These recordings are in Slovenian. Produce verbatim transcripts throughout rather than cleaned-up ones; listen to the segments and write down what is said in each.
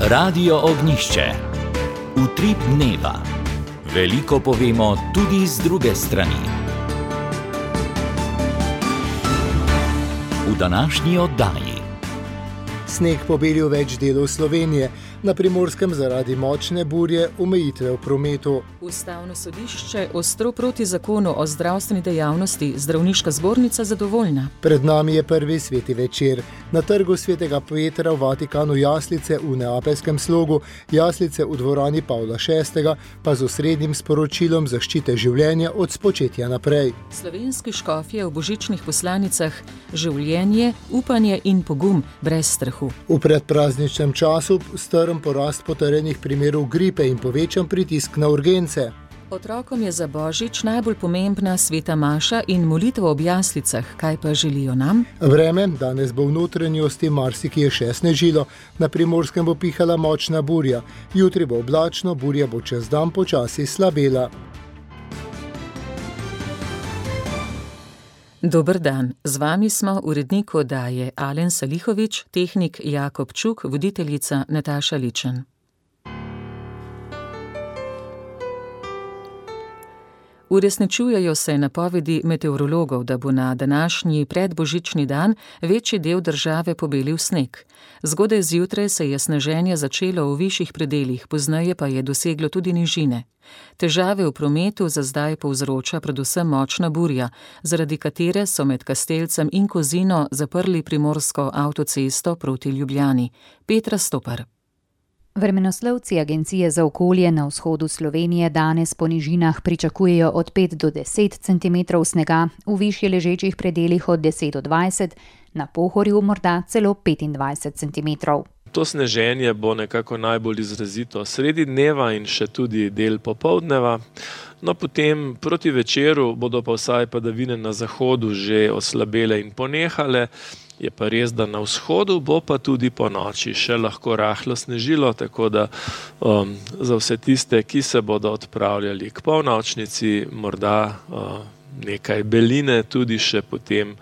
Radio Ognjišče. Utrip dneva. Veliko povemo tudi z druge strani. V današnji oddaji. Sneg pobelil več delov Slovenije, na Primorskem zaradi močne burje omejitve v prometu. Ustavno sodišče ostro proti zakonu o zdravstveni dejavnosti, zdravniška zbornica zadovoljna. Pred nami je prvi sveti večer. Na trgu svetega Petra v Vatikanu jaslice v neapeljskem slogu, jaslice v dvorani Pavla šestega, pa z osrednjim sporočilom zaščite življenja od spočetja naprej. Slovenski škofje v božičnih poslanicah: življenje, upanje in pogum brez strahu. V predprazničnem času strm porast potrjenih primerov gripe in povečan pritisk na urgence. Otrokom je za božič najbolj pomembna sveta maša in molitev ob jaslicah. Kaj pa želijo nam? Vreme, danes bo v notranjosti marsikje še snežilo, na Primorskem bo pihala močna burja, jutri bo oblačno, burja bo čez dan počasi slabela. Dober dan, z vami smo urednik oddaje Alen Salihovič, tehnik Jakob Čuk, voditeljica Nataša Ličen. Uresničujejo se napovedi meteorologov, da bo na današnji predbožični dan večji del države pobelil sneg. Zgodaj zjutraj se je sneženje začelo v višjih predelih, pozneje pa je doseglo tudi nižine. Težave v prometu za zdaj povzroča predvsem močna burja, zaradi katere so med Kastelcem in Kozino zaprli primorsko avtocesto proti Ljubljani. Petra Stopar. Vremenoslovci Agencije za okolje na vzhodu Slovenije danes po nižinah pričakujejo od pet do deset centimetrov snega, v višje ležečih predelih od deset do dvajset, na Pohorju morda celo petindvajset centimetrov. To sneženje bo nekako najbolj izrazito sredi dneva in še tudi del popoldneva. No, potem proti večeru bodo pa vsaj padavine na zahodu že oslabele in ponehale. Je pa res, da na vzhodu bo pa tudi po noči še lahko rahlo snežilo, tako da um, za vse tiste, ki se bodo odpravljali k polnočnici, morda uh, nekaj beline tudi še potem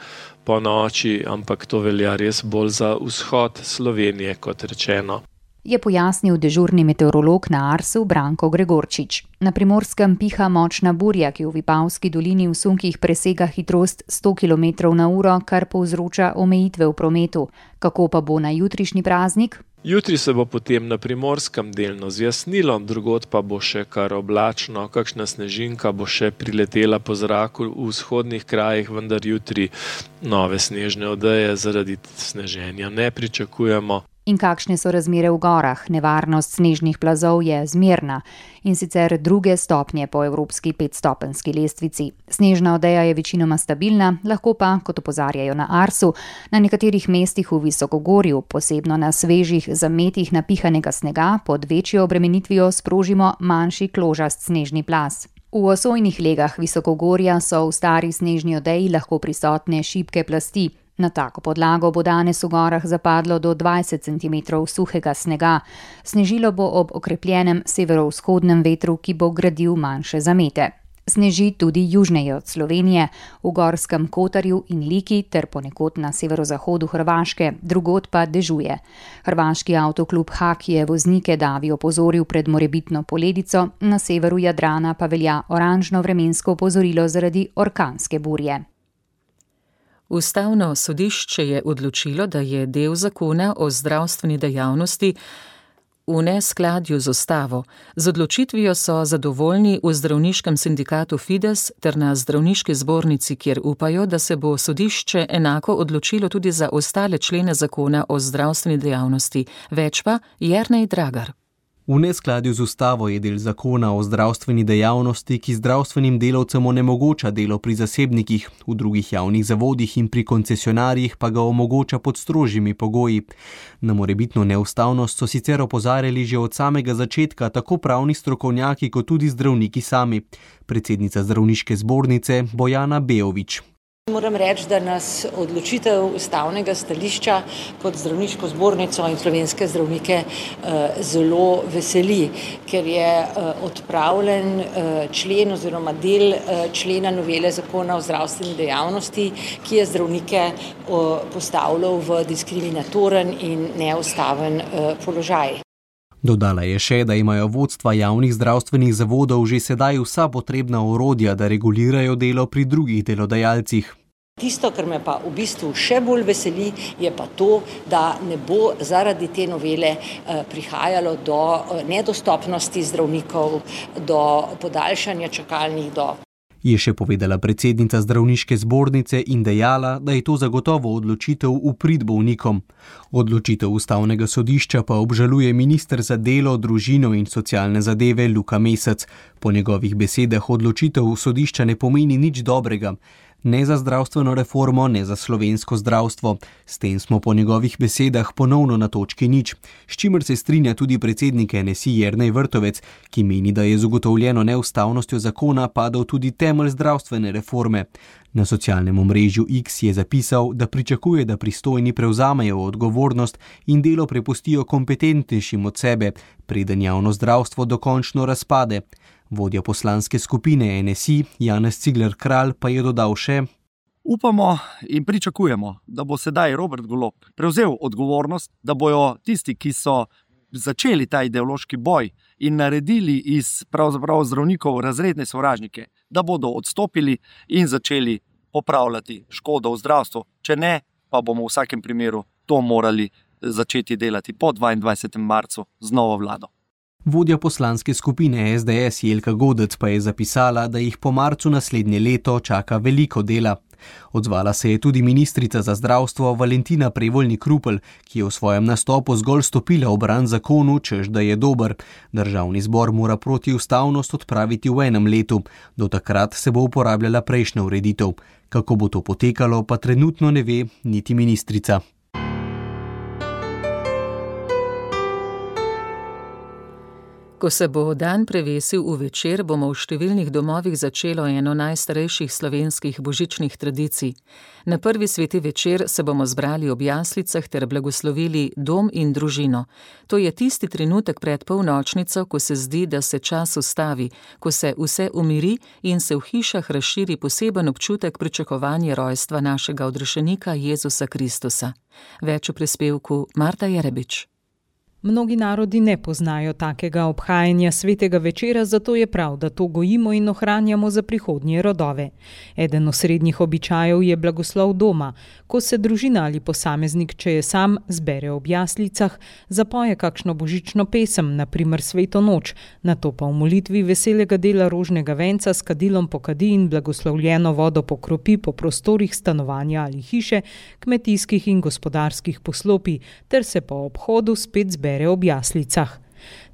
po noči, ampak to velja res bolj za vzhod Slovenije, kot rečeno. Je pojasnil dežurni meteorolog na Arsu Branko Gregorčič. Na Primorskem piha močna burja, ki v Vipavski dolini v sunkih presega hitrost sto kilometrov na uro, kar povzroča omejitve v prometu. Kako pa bo na jutrišnji praznik? Jutri se bo potem na Primorskem delno zjasnilo, drugod pa bo še kar oblačno, kakšna snežinka bo še priletela po zraku v vzhodnih krajih, vendar jutri nove snežne odeje zaradi sneženja ne pričakujemo. In kakšne so razmere v gorah? Nevarnost snežnih plazov je zmerna, in sicer druge stopnje po evropski petstopenjski lestvici. Snežna odeja je večinoma stabilna, lahko pa, kot opozarjajo na Arsu, na nekaterih mestih v visokogorju, posebno na svežih zametih napihanega snega, pod večjo obremenitvijo sprožimo manjši kložast snežni plaz. V osojnih legah visokogorja so v stari snežni odeji lahko prisotne šibke plasti. Na tako podlago bo danes v gorah zapadlo do dvajset centimetrov suhega snega. Snežilo bo ob okrepljenem severovzhodnem vetru, ki bo gradil manjše zamete. Sneži tudi južneje od Slovenije, v Gorskem Kotarju in Liki ter ponekod na severozahodu Hrvaške, drugod pa dežuje. Hrvaški avtoklub Hak je voznike davi opozoril pred morebitno poledico, na severu Jadrana pa velja oranžno vremensko opozorilo zaradi orkanske burje. Ustavno sodišče je odločilo, da je del zakona o zdravstveni dejavnosti v neskladju z ustavo. Z odločitvijo so zadovoljni v zdravniškem sindikatu Fides ter na zdravniški zbornici, kjer upajo, da se bo sodišče enako odločilo tudi za ostale člene zakona o zdravstveni dejavnosti. Več pa Jernej Dragar. V neskladju z ustavo je del zakona o zdravstveni dejavnosti, ki zdravstvenim delavcem onemogoča delo pri zasebnikih, v drugih javnih zavodih in pri koncesionarjih pa ga omogoča pod strožjimi pogoji. Na morebitno neustavnost so sicer opozarjali že od samega začetka tako pravni strokovnjaki kot tudi zdravniki sami. Predsednica zdravniške zbornice Bojana Beovič. Moram reči, da nas odločitev ustavnega stališča kot zdravniško zbornico in slovenske zdravnike zelo veseli, ker je odpravljen člen oziroma del člena novele zakona o zdravstveni dejavnosti, ki je zdravnike postavljal v diskriminatoren in neustaven položaj. Dodala je še, da imajo vodstva javnih zdravstvenih zavodov že sedaj vsa potrebna orodja, da regulirajo delo pri drugih delodajalcih. Tisto, kar me pa v bistvu še bolj veseli, je pa to, da ne bo zaradi te novele prihajalo do nedostopnosti zdravnikov, do podaljšanja čakalnih dob. Je še povedala predsednica zdravniške zbornice in dejala, da je to zagotovo odločitev v prid bolnikom. Odločitev ustavnega sodišča pa obžaluje minister za delo, družino in socialne zadeve Luka Mesec. Po njegovih besedah odločitev sodišča ne pomeni nič dobrega. Ne za zdravstveno reformo, ne za slovensko zdravstvo. S tem smo po njegovih besedah ponovno na točki nič, s čimer se strinja tudi predsednik N S I Jernej Vrtovec, ki meni, da je z ugotovljeno neustavnostjo zakona padal tudi temelj zdravstvene reforme. Na socialnem omrežju X je zapisal, da pričakuje, da pristojni prevzamejo odgovornost in delo prepustijo kompetentnejšim od sebe, preden javno zdravstvo dokončno razpade. Vodja poslanske skupine N S I, Janez Cigler Kralj, pa je dodal še: Upamo in pričakujemo, da bo sedaj Robert Golob prevzel odgovornost, da bojo tisti, ki so začeli ta ideološki boj in naredili iz pravzaprav zdravnikov razredne sovražnike, da bodo odstopili in začeli popravljati škodo v zdravstvu. Če ne, pa bomo v vsakem primeru to morali začeti delati po dvaindvajsetem marcu z novo vlado. Vodja poslanske skupine S D S Jelka Godec pa je zapisala, da jih po marcu naslednje leto čaka veliko dela. Odzvala se je tudi ministrica za zdravstvo Valentina Prevolnik Rupel, ki je v svojem nastopu zgolj stopila v bran zakonu, češ da je dober. Državni zbor mora protiustavnost odpraviti v enem letu. Do takrat se bo uporabljala prejšnja ureditev. Kako bo to potekalo, pa trenutno ne ve niti ministrica. Ko se bo dan prevesil v večer, bomo v številnih domovih začelo eno najstarejših slovenskih božičnih tradicij. Na prvi sveti večer se bomo zbrali ob jaslicah ter blagoslovili dom in družino. To je tisti trenutek pred polnočnico, ko se zdi, da se čas ustavi, ko se vse umiri in se v hišah razširi poseben občutek pričakovanja rojstva našega odrešenika Jezusa Kristusa. Več v prispevku Marta Jerebič. Mnogi narodi ne poznajo takega obhajanja svetega večera, zato je prav, da to gojimo in ohranjamo za prihodnje rodove. Eden osrednjih običajev je blagoslov doma, ko se družina ali posameznik, če je sam, zbere ob jaslicah, zapoje kakšno božično pesem, na primer Sveto noč, nato pa v molitvi veselega dela rožnega venca s kadilom pokadi in blagoslovljeno vodo pokropi po prostorih stanovanja ali hiše, kmetijskih in gospodarskih poslopij, ter se po obhodu spet zbere ob jaslicah.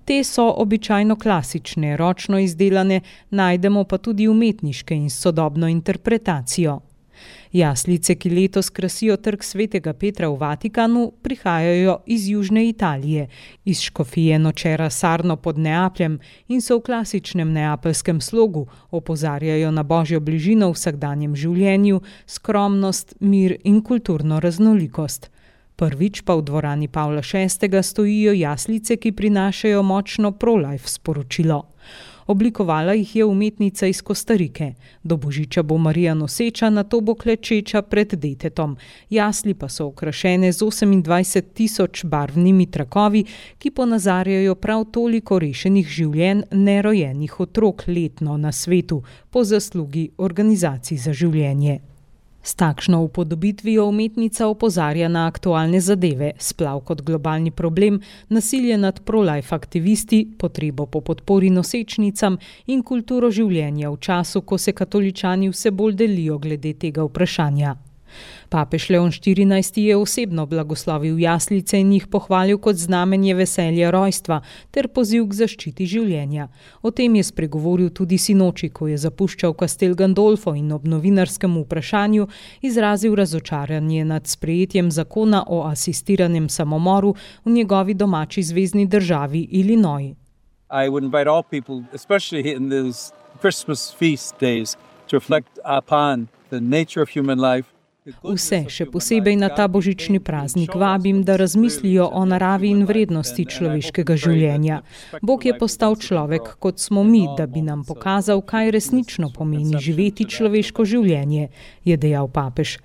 Te so običajno klasične, ročno izdelane, najdemo pa tudi umetniške in sodobno interpretacijo. Jaslice, ki letos krasijo trg svetega Petra v Vatikanu, prihajajo iz južne Italije, iz škofije Nocera Sarno pod Neapljem in so v klasičnem neapeljskem slogu, opozarjajo na božjo bližino v vsakdanjem življenju, skromnost, mir in kulturno raznolikost. Prvič pa v dvorani Pavla šestega stojijo jaslice, ki prinašajo močno pro-life sporočilo. Oblikovala jih je umetnica iz Kostarike. Do božiča bo Marija noseča, nato bo klečeča pred detetom. Jasli pa so okrašene z osemindvajset tisoč barvnimi trakovi, ki ponazarjajo prav toliko rešenih življenj nerojenih otrok letno na svetu po zaslugi organizacij za življenje. S takšno upodobitvijo umetnica opozarja na aktualne zadeve, splav kot globalni problem, nasilje nad pro-life aktivisti, potrebo po podpori nosečnicam in kulturo življenja v času, ko se katoličani vse bolj delijo glede tega vprašanja. Papež Leon štirinajsti je osebno blagoslovil jaslice in jih pohvalil kot znamenje veselja rojstva ter poziv k zaščiti življenja. O tem je spregovoril tudi sinoči, ko je zapuščal Castel Gandolfo in ob novinarskem vprašanju izrazil razočaranje nad sprejetjem zakona o asistiranem samomoru v njegovi domači zvezni državi Illinois. I would invite all people, especially in these Christmas feast days, to reflect upon the nature of human life. Vse, še posebej na ta božični praznik, vabim, da razmislijo o naravi in vrednosti človeškega življenja. Bog je postal človek, kot smo mi, da bi nam pokazal, kaj resnično pomeni živeti človeško življenje, je dejal papež.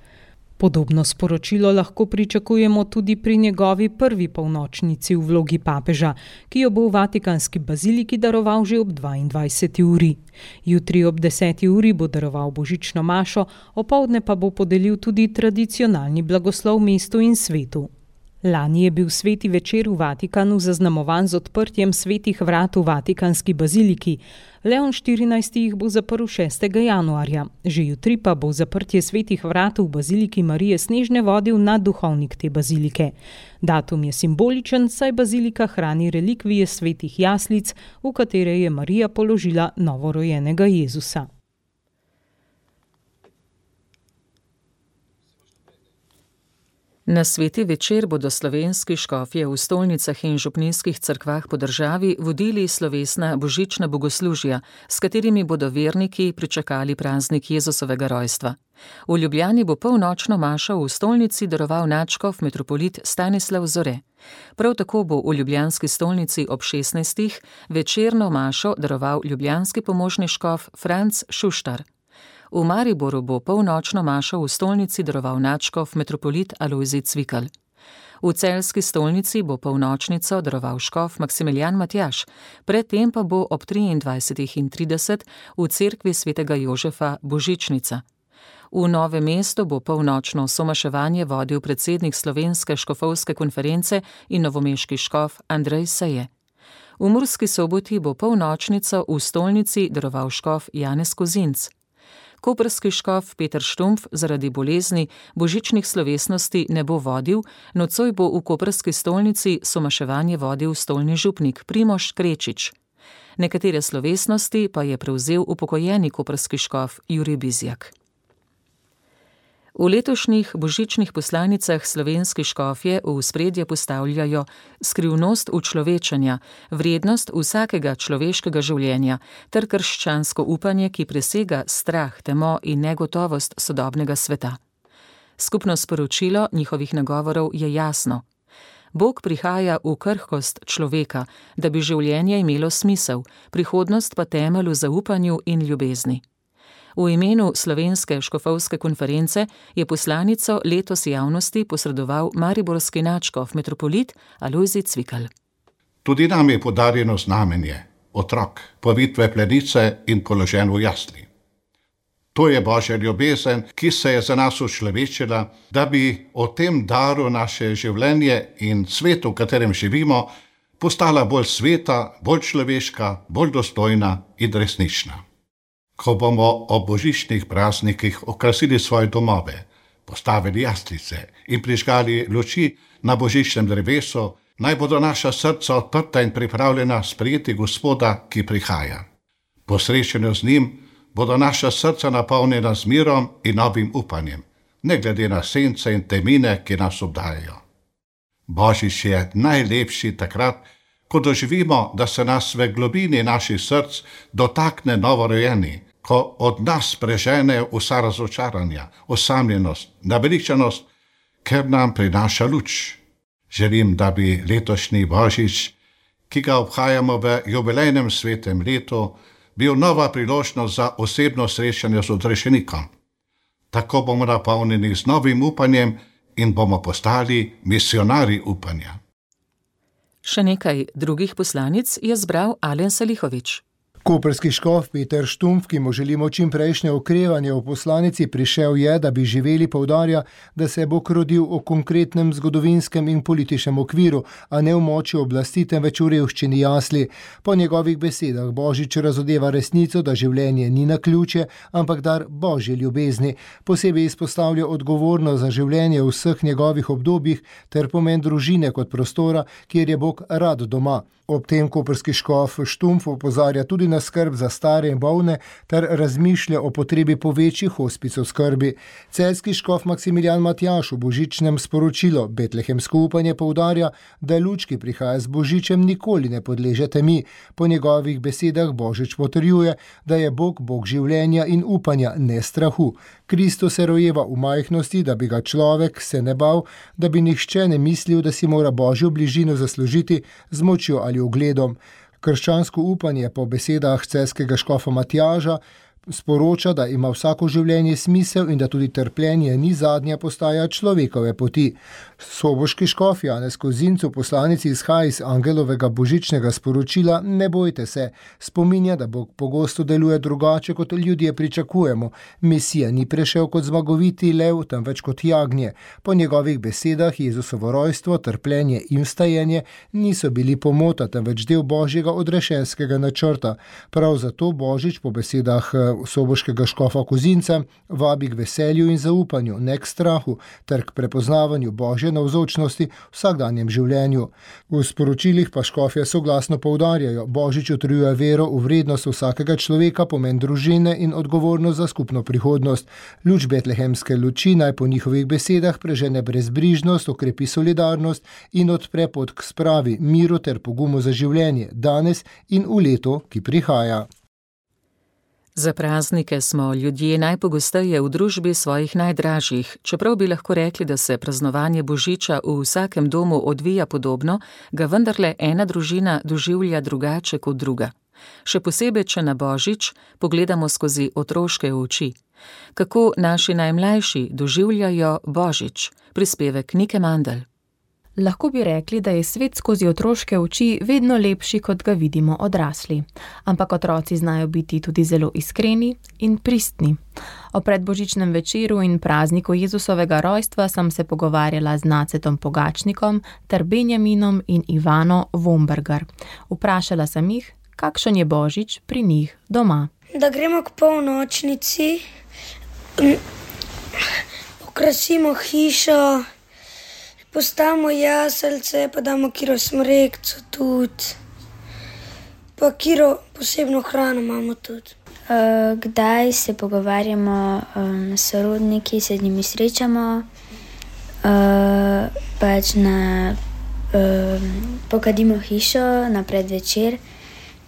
Podobno sporočilo lahko pričakujemo tudi pri njegovi prvi polnočnici v vlogi papeža, ki jo bo v Vatikanski baziliki daroval že ob dvaindvajseti uri. Jutri ob deseti uri bo daroval božično mašo, opoldne pa bo podelil tudi tradicionalni blagoslov mestu in svetu. Lani je bil sveti večer v Vatikanu zaznamovan z odprtjem svetih vrat v Vatikanski baziliki. Leon štirinajsti jih bo zaprl šestega januarja. Že jutri pa bo zaprtje svetih vrat v baziliki Marije Snežne vodil nadduhovnik te bazilike. Datum je simboličen, saj bazilika hrani relikvije svetih jaslic, v katere je Marija položila novorojenega Jezusa. Na sveti večer bodo slovenski škofje v stolnicah in župnijskih cerkvah po državi vodili slovesna božična bogoslužja, s katerimi bodo verniki pričakali praznik Jezusovega rojstva. V Ljubljani bo polnočno mašo v stolnici daroval nadškof metropolit Stanislav Zore. Prav tako bo v ljubljanski stolnici ob šestnajstih večerno mašo daroval ljubljanski pomožni škof Franc Šuštar. V Mariboru bo polnočno mašo v stolnici daroval nadškof metropolit Alojzij Cvikl. V celjski stolnici bo polnočnico daroval škof Maksimilijan Matjaž, predtem pa bo ob triindvajsetih in trideset v cerkvi svetega Jožefa božičnica. V Novem mestu bo polnočno somaševanje vodil predsednik Slovenske škofovske konference in novomeški škof Andrej Seje. V Murski Soboti bo polnočnico v stolnici daroval škof Janez Kozinc. Koprski škof Peter Štumpf zaradi bolezni božičnih slovesnosti ne bo vodil, nocoj bo v koprski stolnici somaševanje vodil stolni župnik Primož Krečič. Nekatere slovesnosti pa je prevzel upokojeni koprski škof Jurij Bizjak. V letošnjih božičnih poslanicah slovenski škofje v ospredje postavljajo skrivnost učlovečenja, vrednost vsakega človeškega življenja ter krščansko upanje, ki presega strah, temo in negotovost sodobnega sveta. Skupno sporočilo njihovih nagovorov je jasno. Bog prihaja v krhkost človeka, da bi življenje imelo smisel, prihodnost pa temelj v zaupanju in ljubezni. V imenu Slovenske škofovske konference je poslanico letos javnosti posredoval mariborski nadškof metropolit Alojzij Cvikl. Tudi nam je podarjeno znamenje, otrok, povitve plenice in položen v jasli. To je Božja ljubezen, ki se je za nas učlovečila, da bi o tem daru naše življenje in svetu, v katerem živimo, postala bolj sveta, bolj človeška, bolj dostojna in resnična. Ko bomo ob božičnih praznikih okrasili svoje domove, postavili jaslice in prižgali luči na božičnem drevesu, naj bodo naša srca odprta in pripravljena sprejeti Gospoda, ki prihaja. Po srečanju z njim bodo naša srca napolnjena z mirom in novim upanjem, ne glede na sence in temine, ki nas obdajajo. Božič je najlepši takrat, ko doživimo, da se nas v globini naših src dotakne novorojeni, ko od nas prežene vsa razočaranja, osamljenost, naveličanost, ker nam prinaša luč. Želim, da bi letošnji Božič, ki ga obhajamo v jubilejnem svetem letu, bil nova priložnost za osebno srečanje z odrešenikom. Tako bomo napolnjeni z novim upanjem in bomo postali misionarji upanja. Še nekaj drugih poslanic je zbral Alen Salihovič. Koprski škof Peter Štumpf, ki mu želimo čim prejšnje okrevanje v poslanici, prišel je, da bi živeli, poudarja, da se bo rodil v konkretnem zgodovinskem in političnem okviru, a ne v moči oblasti, temveč v revščini jasli. Po njegovih besedah Božič razodeva resnico, da življenje ni naključje, ampak dar Božje ljubezni. Posebej izpostavlja odgovornost za življenje v vseh njegovih obdobjih ter pomen družine kot prostora, kjer je Bog rad doma. Ob tem koprski škof Štumpf opozarja tudi na skrb za stare in bolne ter razmišlja o potrebi po večji hospic skrbi. Celjski škof Maksimilijan Matjaž v božičnem sporočilu Betlehemsko upanje poudarja, da luč, ki prihaja z božičem, nikoli ne podleže temi. Po njegovih besedah Božič potrjuje, da je Bog Bog življenja in upanja, ne strahu. Kristus se rojeva v majhnosti, da bi ga človek se ne bal, da bi nihče ne mislil, da si mora Božjo bližino zaslužiti z močjo ali ugledom. Krščansko upanje po besedah celjskega škofa Matjaža sporoča, da ima vsako življenje smisel in da tudi trpljenje ni zadnja postaja človekove poti. Soboški škof Janez Kozinc v poslanici izhaja iz angelovega božičnega sporočila Ne bojte se, spominja, da Bog pogosto deluje drugače, kot ljudje pričakujemo. Mesija ni prišel kot zmagoviti lev, temveč kot jagnje. Po njegovih besedah Jezusovo rojstvo, trpljenje in vstajenje niso bili pomota, temveč del Božjega odrešenskega načrta. Prav zato Božič po besedah soboškega škofa Kozinca vabi k veselju in zaupanju, ne k strahu, ter k prepoznavanju Božje navzočnosti v vsakdanjem življenju. V sporočilih pa škofje soglasno poudarjajo, Božič utrjuje vero v vrednost vsakega človeka, pomen družine in odgovornost za skupno prihodnost. Luč betlehemske luči naj po njihovih besedah prežene brezbrižnost, okrepi solidarnost in odpre pot k spravi, miru ter pogumu za življenje, danes in v letu, ki prihaja. Za praznike smo ljudje najpogosteje v družbi svojih najdražjih. Čeprav bi lahko rekli, da se praznovanje Božiča v vsakem domu odvija podobno, ga vendarle ena družina doživlja drugače kot druga. Še posebej, če na Božič pogledamo skozi otroške oči. Kako naši najmlajši doživljajo Božič? Prispevek Nike Mandl. Lahko bi rekli, da je svet skozi otroške oči vedno lepši, kot ga vidimo odrasli. Ampak otroci znajo biti tudi zelo iskreni in pristni. O predbožičnem večeru in prazniku Jezusovega rojstva sem se pogovarjala z Nacetom Pogačnikom ter Benjaminom in Ivano Vombergar. Vprašala sem jih, kakšen je Božič pri njih doma. Da gremo k polnočnici, okrasimo hišo, postavimo jaselce, pa damo kiro smrekco tudi, pa kiro posebno hrano imamo tudi. Uh, kdaj se pogovarjamo um, s sorodniki, se z njimi srečamo, uh, pač na, um, pokadimo hišo na predvečer,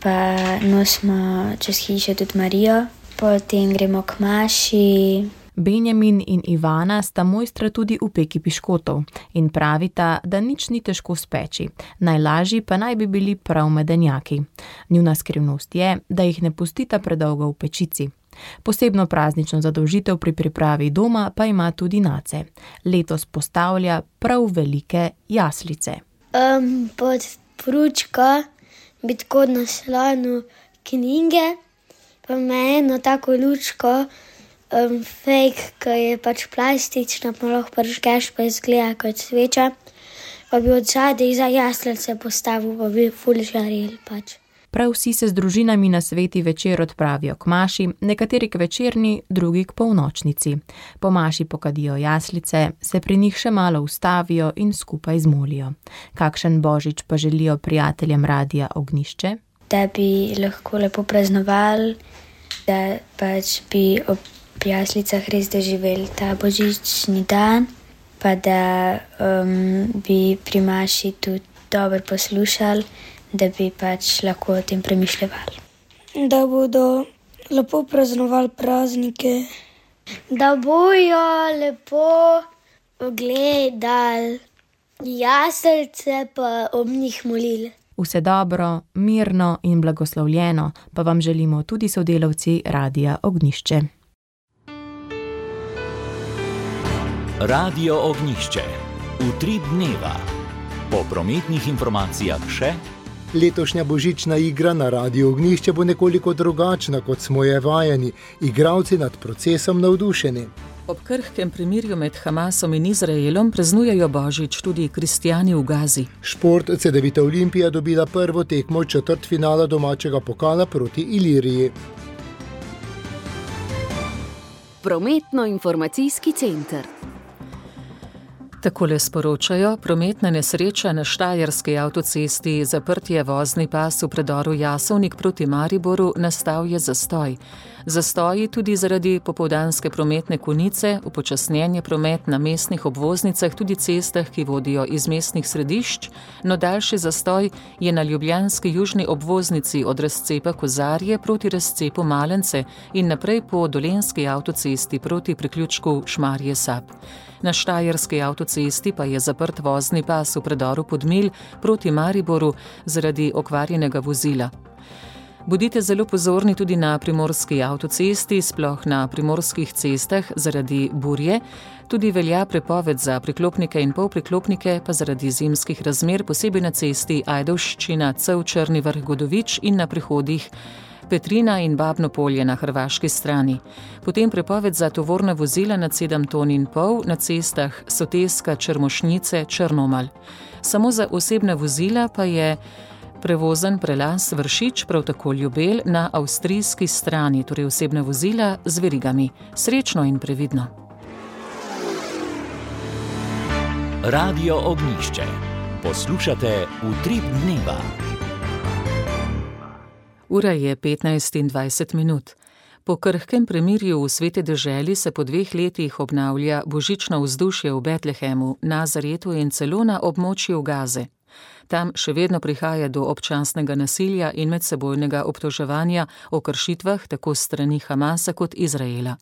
pa nosimo čez hišo tudi Marijo, potem gremo k maši. Benjamin in Ivana sta mojstra tudi v peki piškotov in pravita, da nič ni težko speči, najlažji pa naj bi bili prav medenjaki. Njuna skrivnost je, da jih ne pustita predolgo v pečici. Posebno praznično zadolžitev pri pripravi doma pa ima tudi Nace. Letos postavlja prav velike jaslice. Um, pod pručko bi tako naslonu knjige, pa ima eno tako lučko, Um, fake, ki je pač plastična, pa lahko prižgeš, pa izgleda kot sveča, pa bi od zadaj za jaslice postavil, pa bi ful žarel pač. Prav vsi se z družinami na sveti večer odpravijo k maši, nekateri k večerni, drugi k polnočnici. Po maši pokadijo jaslice, se pri njih še malo ustavijo in skupaj zmolijo. Kakšen Božič pa želijo prijateljem Radia Ognjišče? Da bi lahko lepo praznovali, da pač bi ob v jaslicah res doživeli ta božični dan, pa da um, bi pri maši tudi dobro poslušali, da bi pač lahko o tem premišljali. Da bodo lepo praznovali praznike. Da bojo lepo gledali jaslice, pa ob njih molili. Vse dobro, mirno in blagoslovljeno pa vam želimo tudi sodelavci Radia Ognjišče. Radio Ognjišče. Utrip dneva. Po prometnih informacijah še. Letošnja božična igra na Radiu Ognjišče bo nekoliko drugačna, kot smo je vajeni. Igralci nad procesom navdušeni. Ob krhkem premirju med Hamasom in Izraelom praznujejo Božič tudi kristjani v Gazi. Šport Cedevita Olimpija dobila prvo tekmo četrtfinala domačega pokala proti Iliriji. Prometno-informacijski center. Takole sporočajo, prometna nesreča na Štajerski avtocesti, zaprtje vozni pas v predoru Jasovnik proti Mariboru, nastal je zastoj. Zastoji tudi zaradi popoldanske prometne konice, upočasnjen je promet na mestnih obvoznicah, tudi cestah, ki vodijo iz mestnih središč, no daljši zastoj je na ljubljanski južni obvoznici od razcepa Kozarje proti razcepu Malence in naprej po dolenski avtocesti proti priključku Šmarje Sap. Na Štajerski avtocesti pa je zaprt vozni pas v predoru Podmilj proti Mariboru zaradi okvarjenega vozila. Bodite zelo pozorni tudi na primorski avtocesti, sploh na primorskih cestah zaradi burje. Tudi velja prepoved za priklopnike in polpriklopnike, pa zaradi zimskih razmer, posebej na cesti Ajdovščina, Cev, Črni vrh, Godovič in na prehodih Petrina in Babno polje na hrvaški strani. Potem prepoved za tovorna vozila nad sedem ton in pol na cestah Soteska, Črmošnice, Črnomelj. Samo za osebna vozila pa je prevozen prelaz Vršič, prav tako Ljubelj na avstrijski strani, torej osebna vozila z verigami. Srečno in previdno. Radio Ognjišče. Poslušate Utrip dneva. Ura je petnajst in dvajset minut. Po krhkem premirju v Sveti deželi se po dveh letih obnavlja božično vzdušje v Betlehemu, Nazaretu in celo na območju Gaze. Tam še vedno prihaja do občasnega nasilja in medsebojnega obtoževanja o kršitvah tako strani Hamasa kot Izraela.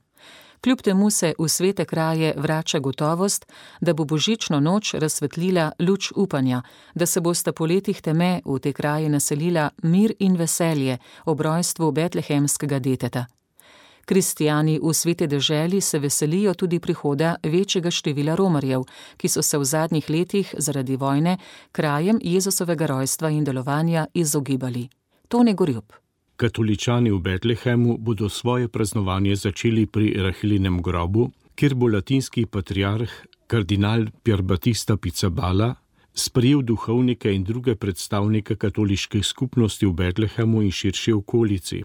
Kljub temu se v svete kraje vrača gotovost, da bo božično noč razsvetlila luč upanja, da se bosta po letih teme v te kraje naselila mir in veselje ob rojstvu betlehemskega deteta. Kristijani v Sveti deželi se veselijo tudi prihoda večjega števila romarjev, ki so se v zadnjih letih zaradi vojne krajem Jezusovega rojstva in delovanja izogibali. Tone Gorjup. Katoličani v Betlehemu bodo svoje praznovanje začeli pri Rahilinem grobu, kjer bo latinski patriarh kardinal Pier Battista Pizzaballa sprejel duhovnike in druge predstavnike katoliških skupnosti v Betlehemu in širši okolici.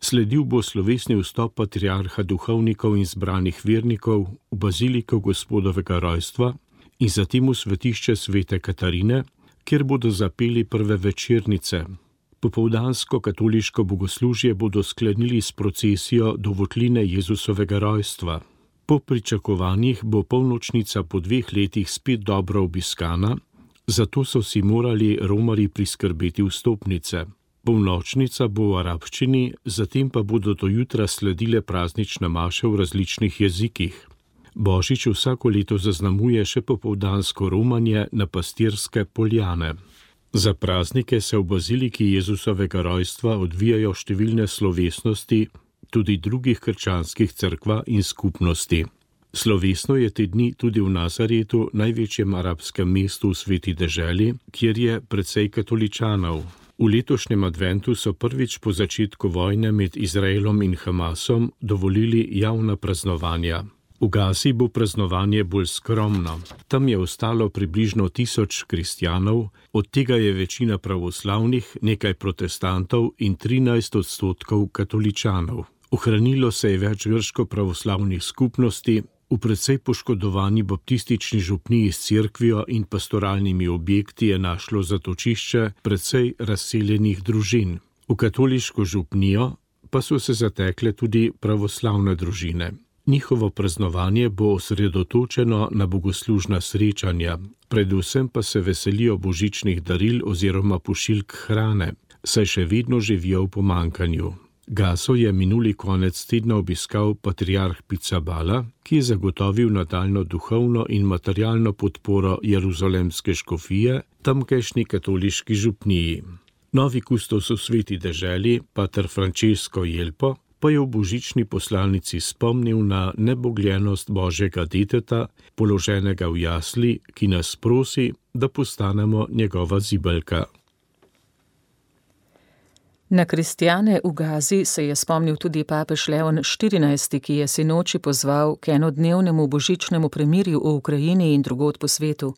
Sledil bo slovesni vstop patriarha duhovnikov in zbranih vernikov v baziliko Gospodovega rojstva in zatem v svetišče Svete Katarine, kjer bodo zapeli prve večernice. Popoldansko katoliško bogoslužje bodo sklenili s procesijo do votline Jezusovega rojstva. Po pričakovanjih bo polnočnica po dveh letih spet dobro obiskana, zato so si morali romarji priskrbeti vstopnice. Polnočnica bo v arabščini, zatem pa bodo do jutra sledile praznične maše v različnih jezikih. Božič vsako leto zaznamuje še popoldansko romanje na pastirske poljane. Za praznike se v baziliki Jezusovega rojstva odvijajo številne slovesnosti, tudi drugih krščanskih cerkva in skupnosti. Slovesno je te dni tudi v Nazaretu, največjem arabskem mestu v Sveti deželi, kjer je precej katoličanov. V letošnjem adventu so prvič po začetku vojne med Izraelom in Hamasom dovolili javna praznovanja. V Gazi bo praznovanje bolj skromno. Tam je ostalo približno tisoč kristjanov, od tega je večina pravoslavnih, nekaj protestantov in trinajst odstotkov katoličanov. Ohranilo se je več grško-pravoslavnih skupnosti, v precej poškodovani baptistični župniji s cerkvijo in pastoralnimi objekti je našlo zatočišče precej razseljenih družin. V katoliško župnijo pa so se zatekle tudi pravoslavne družine. Njihovo praznovanje bo osredotočeno na bogoslužna srečanja, predvsem pa se veselijo božičnih daril oziroma pošiljk hrane, saj še vedno živijo v pomanjkanju. Gaso je minuli konec tedna obiskal patriarh Pizzaballa, ki je zagotovil nadaljno duhovno in materialno podporo jeruzalemske škofije tamkajšnji katoliški župniji. Novi kustos v Sveti deželi, pater Francesco Jelpo, pa je v božični poslanici spomnil na nebogljenost Božjega deteta, položenega v jasli, ki nas prosi, da postanemo njegova zibelka. Na kristjane v Gazi se je spomnil tudi papež Leon štirinajsti, ki je sinoči pozval k enodnevnemu božičnemu premirju v Ukrajini in drugod po svetu.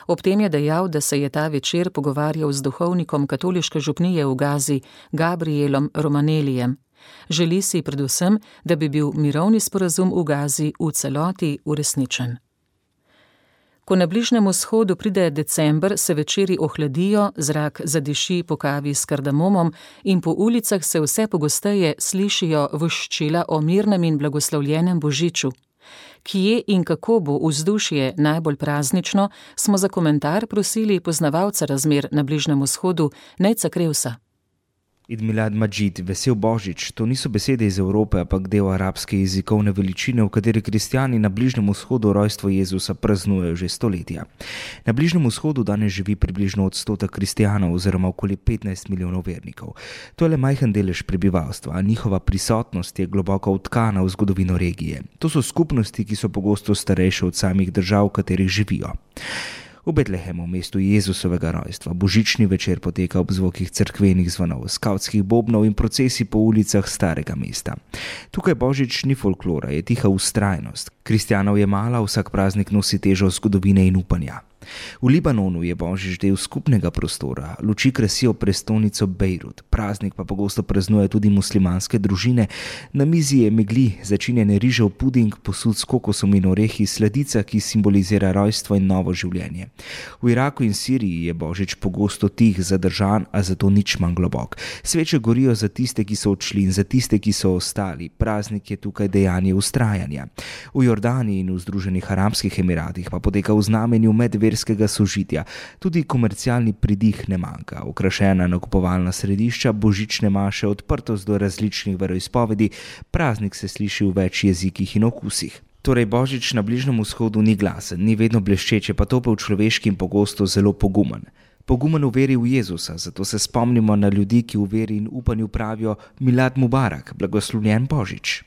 Ob tem je dejal, da se je ta večer pogovarjal z duhovnikom katoliške župnije v Gazi, Gabrielom Romanelijem. Želi si predvsem, da bi bil mirovni sporazum v Gazi v celoti uresničen. Ko na Bližnjem vzhodu pride december, se večeri ohladijo, zrak zadiši po kavi s kardamomom in po ulicah se vse pogosteje slišijo voščila o mirnem in blagoslovljenem božiču. Kje in kako bo vzdušje najbolj praznično, smo za komentar prosili poznavalca razmer na Bližnjem vzhodu, Nejca Krevsa. Id milad Majid, vesel Božič, to niso besede iz Evrope, ampak del arabske jezikovne veličine, v kateri kristjani na Bližnjem vzhodu rojstvo Jezusa praznujejo že stoletja. Na Bližnjem vzhodu danes živi približno odstotek kristjanov oziroma okoli petnajst milijonov vernikov. To je le majhen delež prebivalstva, a njihova prisotnost je globoko vtkana v zgodovino regije. To so skupnosti, ki so pogosto starejše od samih držav, v katerih živijo. V Betlehemu, mestu Jezusovega rojstva, božični večer poteka ob zvokih cerkvenih zvonov, skavtskih bobnov in procesij po ulicah starega mesta. Tukaj božič ni folklora, je tiha vztrajnost. Kristjanov je malo, vsak praznik nosi težo zgodovine in upanja. V Libanonu je božič del skupnega prostora, luči krasijo prestolnico Bejrut, praznik pa pogosto praznuje tudi muslimanske družine. Na mizi je megli, začinjen rižev puding, posud s kokosom in orehi, sladica, ki simbolizira rojstvo in novo življenje. V Iraku in Siriji je božič pogosto tih, zadržan, a zato nič manj globok. Sveče gorijo za tiste, ki so odšli in za tiste, ki so ostali. Praznik je tukaj dejanje vztrajanja. V Jordaniji in v Združenih arabskih emiratih pa poteka v znamenju medverskega sožitja. Tudi komercialni pridih ne manjka. Okrašena nakupovalna središča, božične maše, odprtost do različnih veroizpovedi, praznik se sliši v več jezikih in okusih. Torej božič na Bližnjem vzhodu ni glasen, ni vedno bleščeče, pa topel človeški in pogosto zelo pogumen. Pogumen v veri v Jezusa, zato se spomnimo na ljudi, ki v veri in upanju pravijo Milad Mubarak, blagoslovljen božič.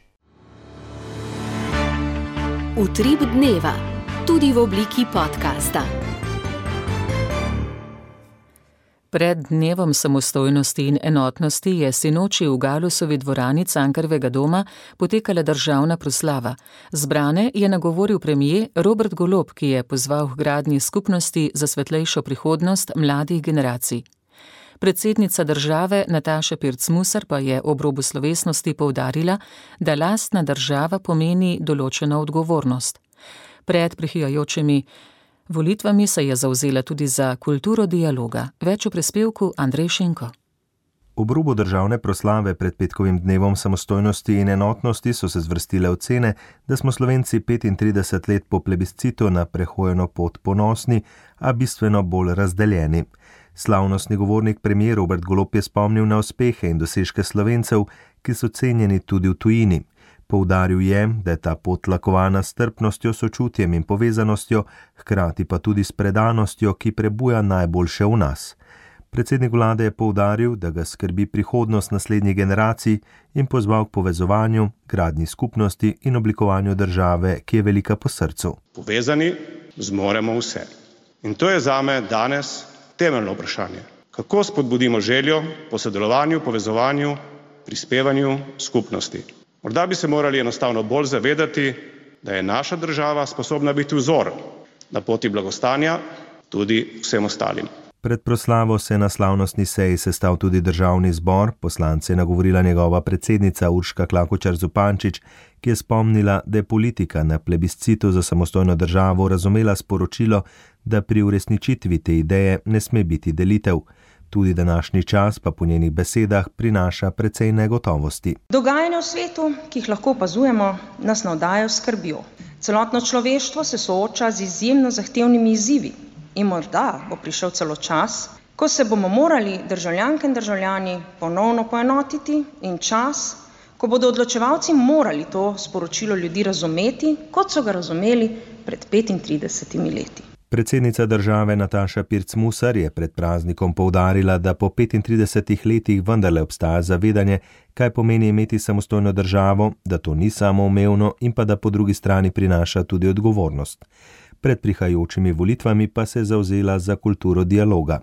Utrip dneva, tudi v obliki podcasta. Pred dnevom samostojnosti in enotnosti je sinoči v Galusovi dvorani Cankarjevega doma potekala državna proslava. Zbrane je nagovoril premier Robert Golob, ki je pozval k gradnji skupnosti za svetlejšo prihodnost mladih generacij. Predsednica države Nataša Pirc Musar pa je ob robu slovesnosti poudarila, da lastna država pomeni določeno odgovornost. Pred prihajajočimi volitvami se je zavzela tudi za kulturo dialoga. Več v prispevku Andrej Šinko. Ob robu državne proslave pred petkovim dnevom samostojnosti in enotnosti so se zvrstile ocene, da smo Slovenci petintrideset let po plebiscitu na prehojeno pot ponosni, a bistveno bolj razdeljeni. Slavnostni govornik premier Robert Golob je spomnil na uspehe in dosežke Slovencev, ki so cenjeni tudi v tujini. Poudaril je, da je ta pot tlakovana s strpnostjo, sočutjem in povezanostjo, hkrati pa tudi s predanostjo, ki prebuja najboljše v nas. Predsednik vlade je poudaril, da ga skrbi prihodnost naslednjih generacij in pozval k povezovanju, gradnji skupnosti in oblikovanju države, ki je velika po srcu. Povezani zmoremo vse. In to je zame danes temeljno vprašanje. Kako spodbudimo željo po sodelovanju, povezovanju, prispevanju skupnosti? Morda bi se morali enostavno bolj zavedati, da je naša država sposobna biti vzor na poti blagostanja tudi vsem ostalim. Pred proslavo se je na slavnostni seji sestal tudi državni zbor, poslance je nagovorila njegova predsednica Urška Klakočar Zupančič, ki je spomnila, da je politika na plebiscitu za samostojno državo razumela sporočilo, da pri uresničitvi te ideje ne sme biti delitev. Tudi današnji čas pa po njenih besedah prinaša precej negotovosti. Dogajanja v svetu, ki jih lahko opazujemo, nas navdajajo s skrbjo. Celotno človeštvo se sooča z izjemno zahtevnimi izzivi in morda bo prišel celo čas, ko se bomo morali državljanke in državljani ponovno poenotiti in čas, ko bodo odločevalci morali to sporočilo ljudi razumeti, kot so ga razumeli pred petintridesetimi leti. Predsednica države Nataša Pirc Musar je pred praznikom poudarila, da po petintridesetih letih vendarle obstaja zavedanje, kaj pomeni imeti samostojno državo, da to ni samoumevno in pa da po drugi strani prinaša tudi odgovornost. Pred prihajajočimi volitvami pa se je zavzela za kulturo dialoga.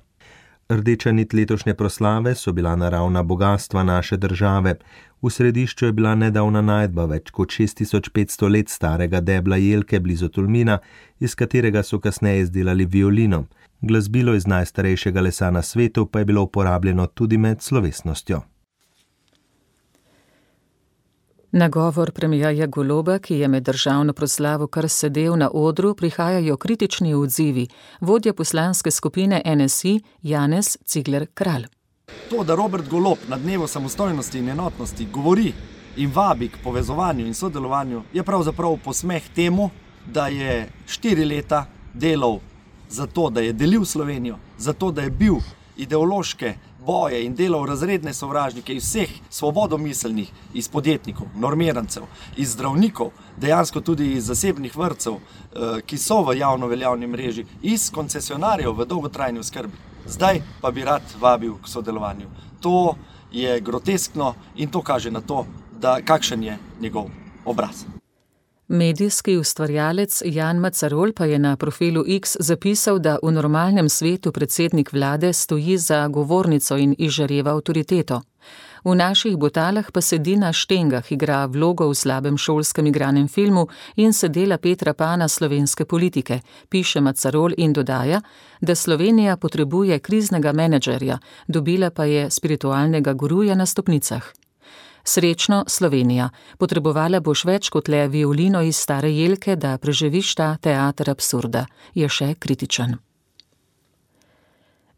Rdeča nit letošnje proslave so bila naravna bogatstva naše države. V središču je bila nedavna najdba več kot šest tisoč petsto let starega debla jelke blizu Tolmina, iz katerega so kasneje izdelali violino. Glasbilo iz najstarejšega lesa na svetu pa je bilo uporabljeno tudi med slovesnostjo. Na govor premierja Goloba, ki je med državno proslavo kar sedel na odru, prihajajo kritični odzivi. Vodja poslanske skupine N S I Janez Cigler Kralj. To, da Robert Golob na dnevu samostojnosti in enotnosti govori in vabi k povezovanju in sodelovanju, je pravzaprav posmeh temu, da je štiri leta delal za to, da je delil Slovenijo, za to, da je bil ideološke boje in delal razredne sovražnike iz vseh svobodomiselnih, iz podjetnikov, normirancev, iz zdravnikov, dejansko tudi iz zasebnih vrtcev, ki so v javno veljavni mreži, iz koncesionarjev v dolgotrajni oskrbi. Zdaj pa bi rad vabil k sodelovanju. To je groteskno in to kaže na to, da kakšen je njegov obraz. Medijski ustvarjalec Jan Macarol pa je na profilu X zapisal, da v normalnem svetu predsednik vlade stoji za govornico in izžareva avtoriteto. V naših botalah pa sedi na štengah, igra vlogo v slabem šolskem igranem filmu in se dela Petra Pana slovenske politike, piše Macarol in dodaja, da Slovenija potrebuje kriznega menedžerja, dobila pa je spiritualnega guruja na stopnicah. Srečno, Slovenija, potrebovala boš več kot le violino iz Stare Jelke, da preživiš ta teater absurda, je še kritičen.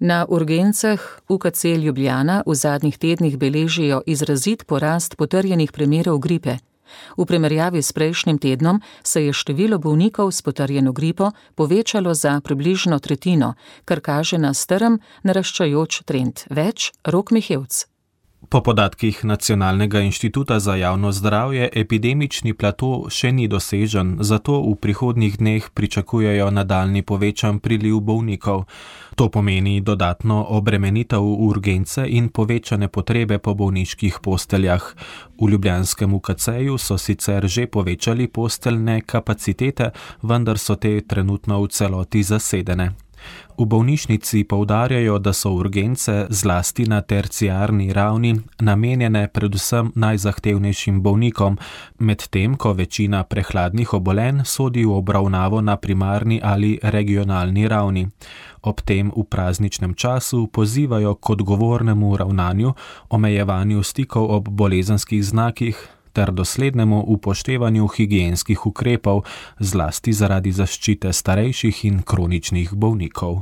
Na urgencah U K C Ljubljana v zadnjih tednih beležijo izrazit porast potrjenih primerov gripe. V primerjavi s prejšnjim tednom se je število bolnikov s potrjeno gripo povečalo za približno tretjino, kar kaže na strm naraščajoč trend. Več Rok Mihevc. Po podatkih Nacionalnega inštituta za javno zdravje epidemični plato še ni dosežen, zato v prihodnjih dneh pričakujejo nadaljnji povečan priliv bolnikov. To pomeni dodatno obremenitev urgence in povečane potrebe po bolniških posteljah. V ljubljanskem U K C-ju so sicer že povečali posteljne kapacitete, vendar so te trenutno v celoti zasedene. V bolnišnici poudarjajo, da so urgence zlasti na terciarni ravni namenjene predvsem najzahtevnejšim bolnikom, medtem ko večina prehladnih obolenj sodi v obravnavo na primarni ali regionalni ravni. Ob tem v prazničnem času pozivajo k odgovornemu ravnanju, omejevanju stikov ob bolezenskih znakih ter doslednemu upoštevanju higienskih ukrepov, zlasti zaradi zaščite starejših in kroničnih bolnikov.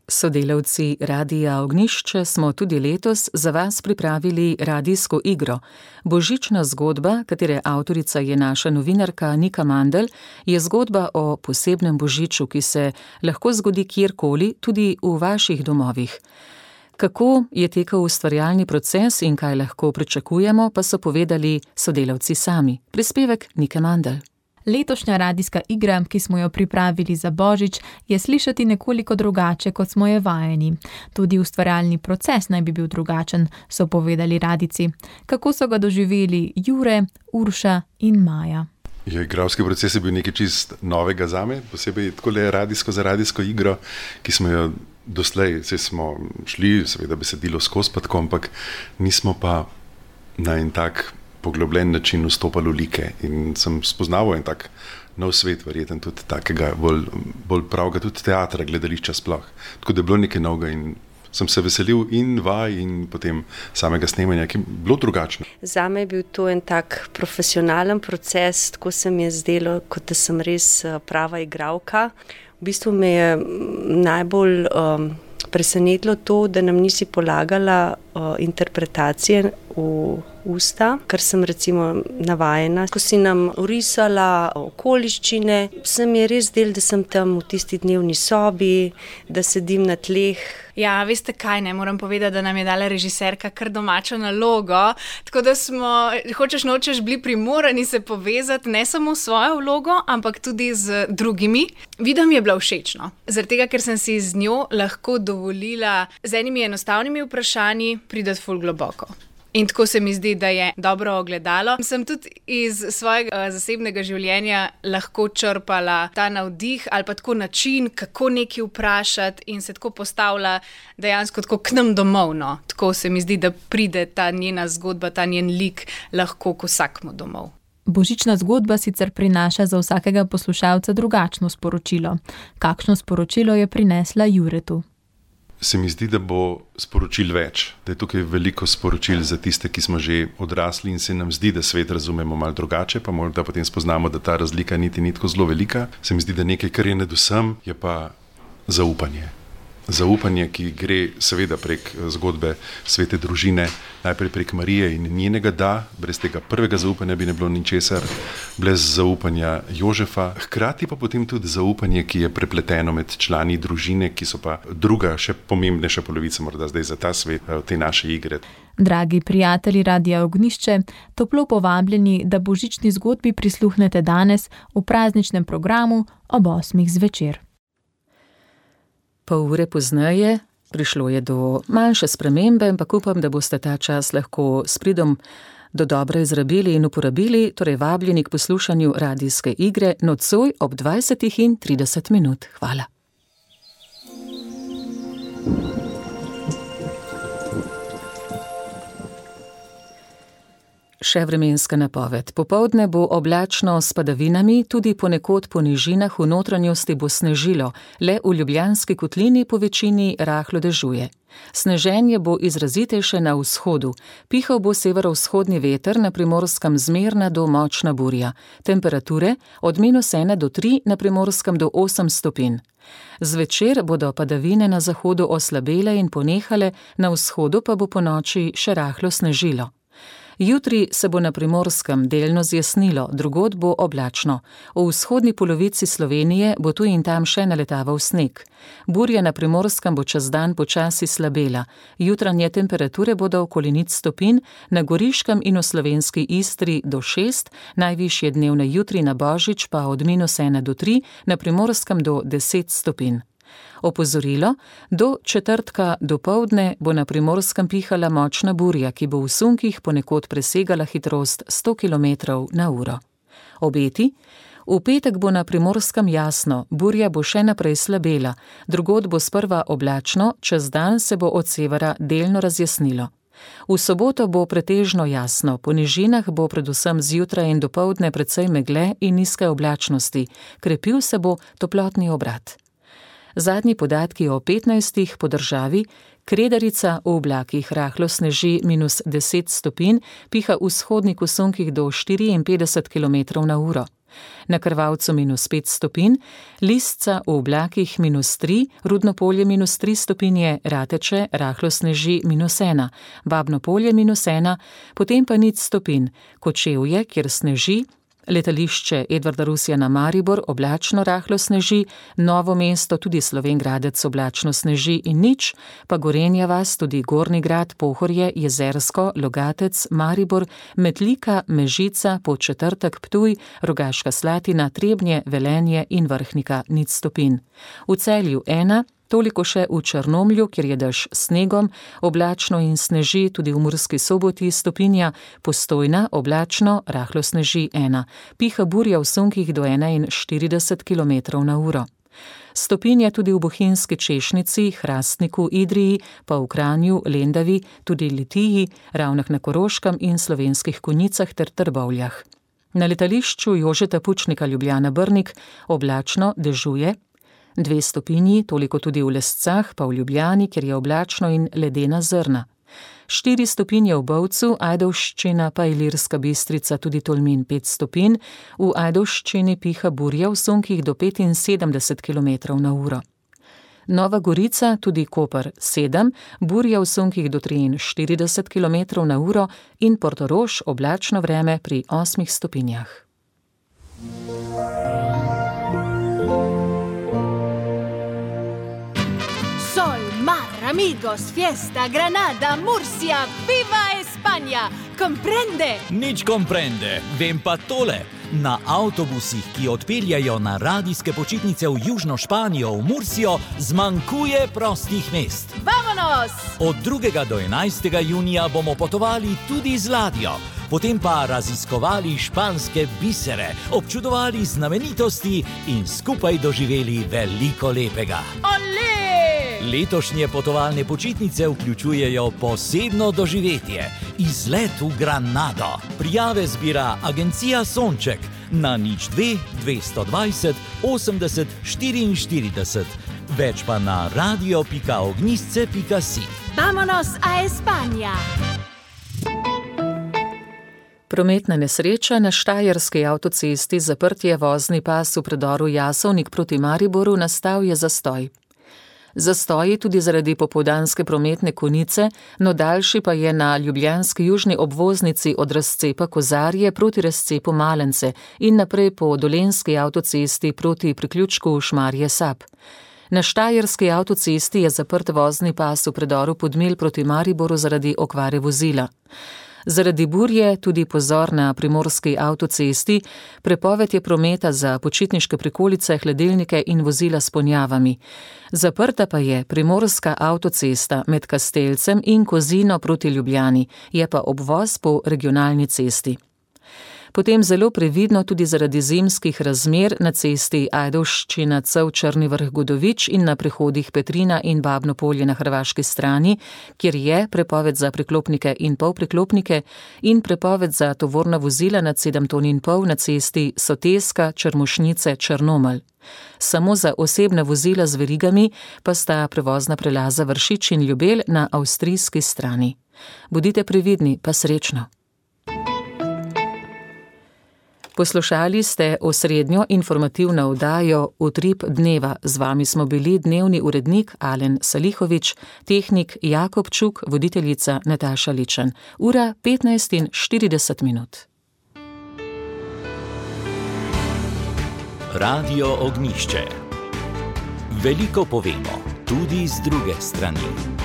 Sodelavci Radia Ognjišče smo tudi letos za vas pripravili radijsko igro. Božična zgodba, katere avtorica je naša novinarka Nika Mandl, je zgodba o posebnem božiču, ki se lahko zgodi kjerkoli, tudi v vaših domovih. Kako je tekel ustvarjalni proces in kaj lahko pričakujemo, pa so povedali sodelavci sami. Prispevek Nike Mandl. Letošnja radijska igra, ki smo jo pripravili za Božič, je slišati nekoliko drugače, kot smo je vajeni. Tudi ustvarjalni proces naj bi bil drugačen, so povedali radijci. Kako so ga doživeli Jure, Urša in Maja? Ja, igralski proces je bil nekaj čist novega zame, posebej tako le radijsko za radijsko igro, ki smo jo doslej, se smo šli, seveda besedilo skozi pa tako, ampak nismo pa na en tak poglobljen način vstopali v like in sem spoznaval en tak nov svet, verjeten tudi takega, bolj, bolj pravega tudi teatra, gledališča sploh. Tako da je bilo nekaj novega in sem se veselil in vaj in potem samega snemanja, ki je bilo drugačno. Zame je bil to en tak profesionalen proces, tako se mi je zdelo, kot da sem res prava igralka. V bistvu me je najbolj um, presenetilo to, da nam nisi polagala uh, interpretacije v usta, kar sem recimo navajena. Ko si nam orisala okoliščine, se mi je res del, da sem tam v tisti dnevni sobi, da sedim na tleh. Ja, veste kaj, ne moram povedati, da nam je dala režiserka kar domačo nalogo, tako da smo, hočeš nočeš, bili primorani se povezati ne samo s svojo vlogo, ampak tudi z drugimi. Vida mi je bila všečno, zaradi tega, ker sem si z njo lahko dovolila z enimi enostavnimi vprašanji prideti ful globoko. In tako se mi zdi, da je dobro ogledalo. Sem tudi iz svojega zasebnega življenja lahko črpala ta navdih ali pa tako način, kako nekaj vprašati in se tako postavila dejansko tako k nam domov. No. Tako se mi zdi, da pride ta njena zgodba, ta njen lik lahko k vsakmu domov. Božična zgodba sicer prinaša za vsakega poslušalca drugačno sporočilo. Kakšno sporočilo je prinesla Juretu? Se mi zdi, da bo sporočil več, da je tukaj veliko sporočil za tiste, ki smo že odrasli in se nam zdi, da svet razumemo malo drugače, pa morda potem spoznamo, da ta razlika niti ni tako zelo velika. Se mi zdi, da nekaj, kar je nad vsem, je pa zaupanje. zaupanje, ki gre seveda prek zgodbe svete družine, najprej prek Marije in njenega da, brez tega prvega zaupanja bi ne bilo ničesar, brez zaupanja Jožefa, hkrati pa potem tudi zaupanje, ki je prepleteno med člani družine, ki so pa druga, še pomembnejša polovica morda zdaj za ta svet, te naše igre. Dragi prijatelji Radia Ognjišče, toplo povabljeni, da božični zgodbi prisluhnete danes v prazničnem programu ob osmih zvečer. Pol ure pozneje prišlo je do manjše spremembe, ampak upam, da boste ta čas lahko s pridom do dobro izrabili in uporabili, torej vabljeni k poslušanju radijske igre nocoj ob dvajsetih in trideset minut. Hvala. Še vremenska napoved. Popoldne bo oblačno s padavinami, tudi ponekod po nižinah v notranjosti bo snežilo, le v Ljubljanski kotlini po večini rahlo dežuje. Sneženje bo izrazitejše na vzhodu, pihal bo severovzhodni veter, na Primorskem zmerna do močna burja. Temperature od minus ena do tri, na Primorskem do osem stopinj. Zvečer bodo padavine na zahodu oslabele in ponehale, na vzhodu pa bo ponoči še rahlo snežilo. Jutri se bo na Primorskem delno zjasnilo, drugod bo oblačno. V vzhodni polovici Slovenije bo tu in tam še naletaval sneg. Burja na Primorskem bo čez dan počasi slabela. Jutranje temperature bodo okoli nič stopinj, na Goriškem in v slovenski Istri do šest, najvišje dnevne jutri na Božič pa od minus ena do tri, na Primorskem do deset stopinj. Opozorilo, do četrtka dopoldne bo na Primorskem pihala močna burja, ki bo v sunkih ponekod presegala hitrost sto kilometrov na uro. Obeti? V petek bo na Primorskem jasno, burja bo še naprej slabela, drugod bo sprva oblačno, čez dan se bo od severa delno razjasnilo. V soboto bo pretežno jasno, po nižinah bo predvsem zjutraj in dopoldne precej megle in nizke oblačnosti, krepil se bo toplotni obrat. Zadnji podatki o petnajstih po državi, Kredarica v oblakih rahlo sneži minus deset stopinj, piha vzhodnik v sunkih do štiriinpetdeset kilometrov na uro. Na Krvavcu minus pet stopinj, Lisca v oblakih minus tri, Rudnopolje minus tri stopinje, Rateče rahlo sneži minus ena, Babnopolje minus ena, potem pa nič stopinj, Kočevje, kjer sneži, letališče Edvarda Rusjana Maribor oblačno rahlo sneži, Novo mesto tudi Slovenj Gradec oblačno sneži in nič, pa Gorenja vas, tudi Gornji Grad, Pohorje, Jezersko, Logatec, Maribor, Metlika, Mežica, Podčetrtek, Ptuj, Rogaška Slatina, Trebnje, Velenje in Vrhnika nič stopinj. V Celju ena, toliko še v Črnomlju, kjer je dež snegom, oblačno in sneži, tudi v Murski Soboti stopinja, Postojna, oblačno, rahlo sneži ena, piha burja v sunkih do enainštirideset kilometrov na uro. Stopinja tudi v Bohinjski Češnici, Hrastniku, Idriji, pa v Kranju, Lendavi, tudi Litiji, Ravnah na Koroškem in Slovenskih Konjicah ter Trbovljah. Na letališču Jožeta Pučnika Ljubljana Brnik oblačno dežuje, dve stopinji, toliko tudi v Lescah, pa v Ljubljani, kjer je oblačno in ledena zrna. Štiri stopinje v Bovcu, Ajdovščina pa Ilirska Bistrica, tudi Tolmin pet stopinj, v Ajdovščini piha burja v sunkih do petinsedemdeset kilometrov na uro. Nova Gorica, tudi Koper sedem, burja v sunkih do triinštirideset kilometrov na uro in Portorož oblačno vreme pri osmih stopinjah. Amigos, fiesta, Granada, Murcia, viva España! Comprende? Nič comprende, vem pa tole. Na avtobusih, ki odpeljajo na radijske počitnice v Južno Španijo, v Mursijo, zmanjkuje prostih mest. Vamonos! Od drugega do enajstega junija bomo potovali tudi z ladjo, potem pa raziskovali španske bisere, občudovali znamenitosti in skupaj doživeli veliko lepega. Olé! Letošnje potovalne počitnice vključujejo posebno doživetje, izlet v Granado. Prijave zbira agencija Sonček na nič dve dvesto dvajset osemdeset štiriinštirideset, več pa na radio pika ognjisce pika si. Vamonos a España! Prometna nesreča na štajerski avtocesti, zaprt je vozni pas v predoru Jasovnik proti Mariboru, nastal je zastoj. Zastoji tudi zaradi popoldanske prometne konice, no daljši pa je na ljubljanski južni obvoznici od razcepa Kozarje proti razcepu Malence in naprej po dolenjski avtocesti proti priključku Šmarje Sap. Na štajerski avtocesti je zaprt vozni pas v predoru Podmel proti Mariboru zaradi okvare vozila. Zaradi burje tudi pozor na primorski avtocesti, prepoved je prometa za počitniške prikolice, hladilnike in vozila s ponjavami. Zaprta pa je primorska avtocesta med Kastelcem in Kozino proti Ljubljani, je pa obvoz po regionalni cesti. Potem zelo previdno tudi zaradi zimskih razmer na cesti Ajdovščina Cev Črni Vrh Godovič in na prehodih Petrina in Babno Polje na hrvaški strani, kjer je prepoved za priklopnike in polpriklopnike in prepoved za tovorna vozila nad sedem ton in pol na cesti Soteska Črmušnice Črnomelj. Samo za osebna vozila z verigami pa sta prevozna prelaza Vršič in Ljubelj na avstrijski strani. Bodite previdni, pa srečno. Poslušali ste osrednjo informativno oddajo Utrip dneva. Z vami smo bili dnevni urednik Alen Salihovič, tehnik Jakob Čuk, voditeljica Nataša Ličen. Ura petnajst in štirideset minut. Radio Ognjišče. Veliko povemo, tudi z druge strani.